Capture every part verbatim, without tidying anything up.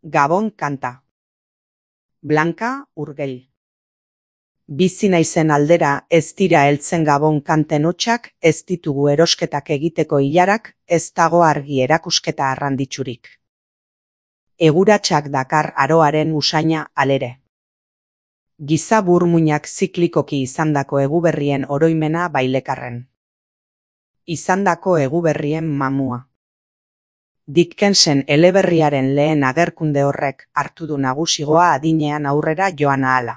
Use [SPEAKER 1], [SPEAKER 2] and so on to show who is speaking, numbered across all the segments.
[SPEAKER 1] Gabon kanta. Blanka Urgell. Bizi naizen aldera ez dira heltzen Gabon kanten hotsak, ez ditugu erosketak egiteko ilarak, ez dago argi erakusketa arranditsurik. Eguratsak dakar aroaren usaina alere. Giza burmuinak ziklikoki izandako eguberrien oroimena bailekarren. Izandako eguberrien mamua. Dickensen eleberriaren lehen agerkunde horrek hartu du nagusigoa adinean aurrera joan ahala.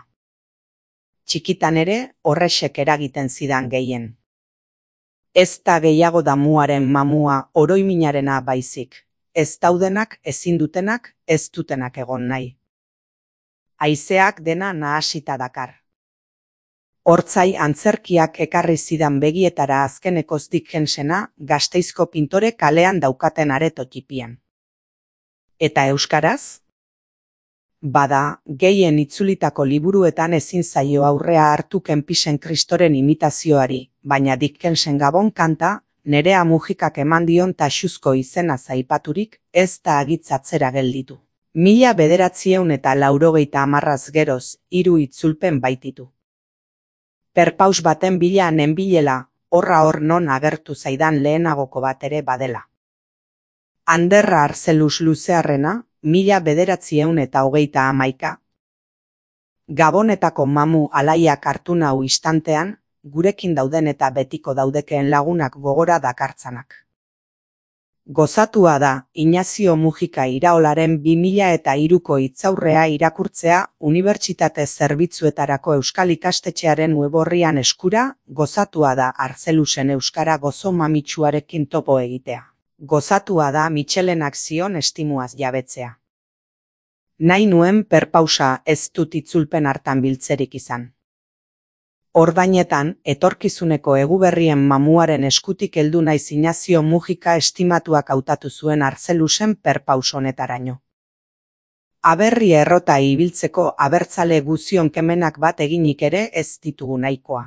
[SPEAKER 1] Txikitan ere horrexek eragiten zidan gehien. Ez da gehiago damuaren mamua oroiminarena baizik, ez daudenak ezin dutenak ez dutenak egon nahi. Haizeak dena nahasita dakar. Hortzai antzerkiak ekarri zidan begietara azkenekoz Dickensena Gasteizko pintore kalean daukaten areto txipian. Eta euskaraz? Bada, gehien itzulitako liburuetan ezin zaio aurrea hartu Kempisen Kristoren imitazioari, baina Dickensen Gabon kanta, Nerea Mujikak eman dion taxuzko izena zaipaturik, ez da agitzatzera gelditu. Mila bederatzieun eta laurogeita hamarraz geroz, hiru itzulpen baititu. Perpaus baten bila nenbilela, horra hor non agertu zaidan lehenagoko bat ere badela. Anderra Arzelus Luzearrena, mila bederatzieun eta hogeita hamaika. Gabonetako mamu alaiak hartu nau istantean, gurekin dauden eta betiko daudekeen lagunak gogora dakartzanak. Gozatua da, Inazio Mujika Iraolaren bi mila eta hiruko hitzaurrea irakurtzea unibertsitate zerbitzuetarako euskal ikastetxearen weborrian eskura, gozatua da Arzelusen euskara gozo mamitsuarekin topo egitea. Gozatua da Mitxelenak zion estimuaz jabetzea. Nahi nuen perpausa ez dut itzulpen hartan biltzerik izan. Ordainetan, etorkizuneko eguberrien mamuaren eskutik heldu naiz Inazio Mujika estimatuak hautatu zuen Arzelusen perpaus honetaraino. Aberri errota ibiltzeko abertzale guzion kemenak bat eginik ere ez ditugu nahikoa.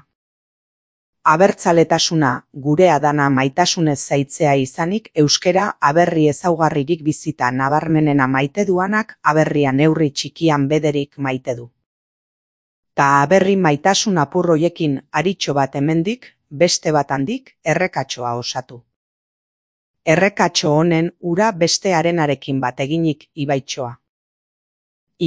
[SPEAKER 1] Abertzaletasuna, gurea dana maitasunez zaitzea izanik, euskera aberri ezaugarririk bizita nabarmenena maite duanak aberria neurri txikian bederik maite du. Ta aberri maitasun apurroiekin aritxo bat hemendik, beste bat handik, errekatxoa osatu. Errekatxo honen ura beste arenarekin bat eginik ibaitxoa.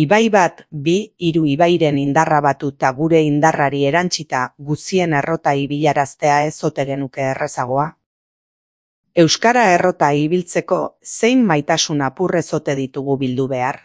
[SPEAKER 1] Ibai bat, bi, hiru ibairen indarra batuta gure indarrari erantzita guzien errota ibilaraztea ez ote genuke errezagoa. Euskara errota ibiltzeko zein maitasun apurrez ote ditugu bildu behar?